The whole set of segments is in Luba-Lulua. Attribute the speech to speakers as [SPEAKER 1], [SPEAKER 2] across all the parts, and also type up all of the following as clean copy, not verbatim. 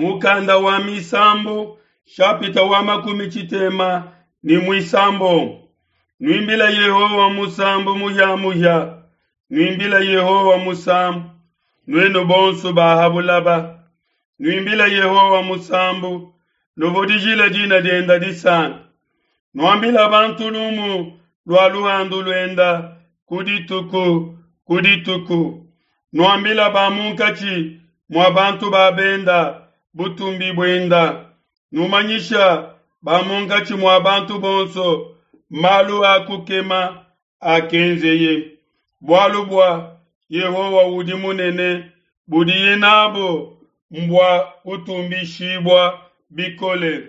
[SPEAKER 1] Mukanda wa Misambu shapita wa makumi tshitema ne muisambombo. Nuimbila Yehowa musambu muhia-muhia, nuimbila Yehowa musambu, nuenu bonso ba ha bulaba. Nuimbila Yehowa musambu, nuvudijile dina dienda disanka. Nuambila bantu lumu lua luhandu luenda ku dituku ku dituku. Nuambila ba munkatshi mua bantu ba benda butumbi buenda. Numanyisha ba munkatshi mua bantu bonso malu a kukema akenzeye. Bualu bua Yehowa udi munene, budiye nabo mbua kutumbishibua bikole.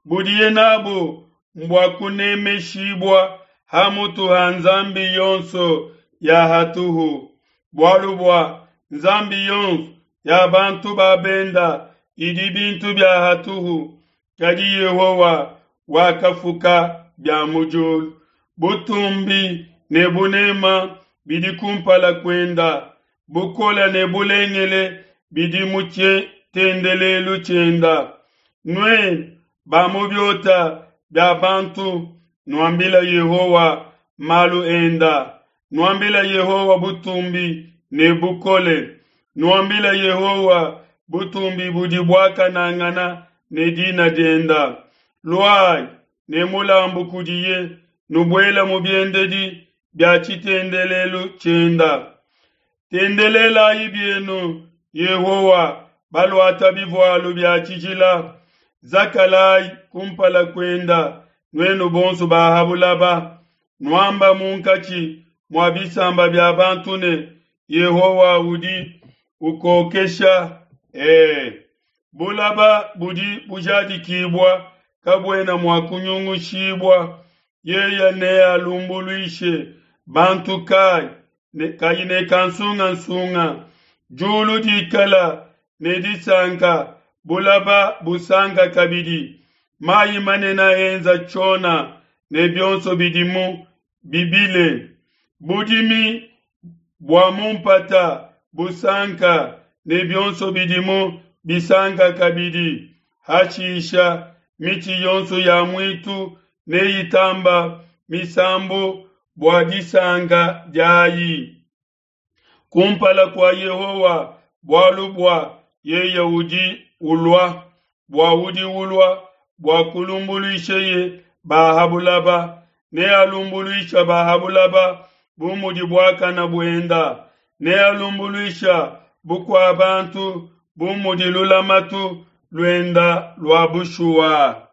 [SPEAKER 1] Budiye nabo mbua kunemeshibua ha mutu ha nzambi yonso ya hatuhu. Bualu bua nzambi yonso ya bantu ba benda idi bintu bia hatuhu, kadi Yehowa wakafuka bia mu diulu. Butumbi ne bunema bidi kumpala kuenda, bukole ne bulengele bidi mu tshitendelelu tshienda. Nuenu ba mu biota bia bantu, nuambila Yehowa malu enda. Nuambila Yehowa butumbi ne bukole. Nuambila Yehowa butumbi budi buakanangana ne dina dienda. Luayi ne mulambu kudiye, nubuela mu biendedi bia tshitendelelu tshienda. Tendelelayi bienu Yehowa baluata bivualu bia tshijila. Zakalayi kumpala kuenda nuenu bonso ba ha bulaba. Nuamba munkatshi mua bisamba bia bantu ne, Yehowa udi ukokesha. Ee, bulaba budi bujadikibua kabuena mua kunyungushibua. Yeye nealumbuluishe bantu kai ne, kayi ne kansungansunga. Diulu dikala ne disanka, bulaba busanka kabidi. Mayi manene enza tshiona ne bionso bidimu bibile. Budimi bua mu mpata busanka ne bionso bidimu bisanka kabidi. Hashisha mitshi yonso ya muitu neyitamba misambu bua disanka diayi kumpala kua Yehowa, bualu bua yeye udi ulua, bua udi ulua bua kulumbuluisheye ba ha bulaba. Nealumbuluisha ba ha bulaba bu mudi buakana buenda, nealumbuluisha bukua bantu bu mudi lulamatu luenda lua bushuwa.